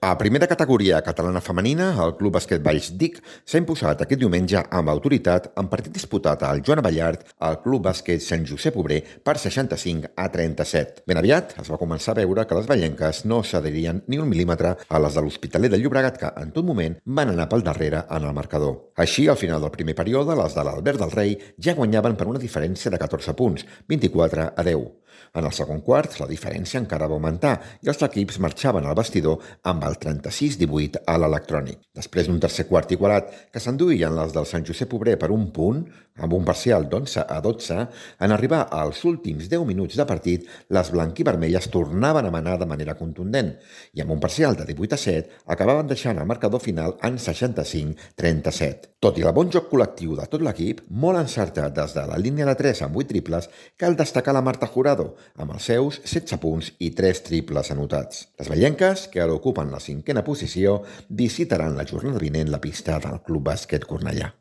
A primera categoria catalana femenina, el Club Bàsquet Valls Dic s'ha imposat aquest diumenge amb autoritat en partit disputat al Joan Abellart al Club Bàsquet Sant Josep Obrer per 65-37. Ben aviat es va començar a veure que les vallenques no cederien ni un mil·límetre a les de l'Hospitalet de Llobregat, que en tot moment van anar pel darrere en el marcador. Així, al final del primer període, les de l'Albert del Rei ja guanyaven per una diferència de 14 punts, 24-10. En el segon quart, la diferència encara va augmentar i els equips marxaven al vestidor amb el 36-18 a l'electrònic. Després d'un tercer quart igualat que s'enduïen les del Sant Josep Obrer per un punt, amb un parcial d'11-12, en arribar als últims 10 minuts de partit, les blanquivermelles tornaven a manar de manera contundent i amb un parcial de 18-7 acabaven deixant el marcador final en 65-37. Tot i el bon joc col·lectiu de tot l'equip, molt encertat des de la línia de 3 amb 8 triples, cal destacar la Marta Jurado, amb els seus 16 punts i 3 triples anotats. Les vallenques, que ara ocupen la 5a posició, visitaran la jornada vinent la pista del Club Bàsquet Cornellà.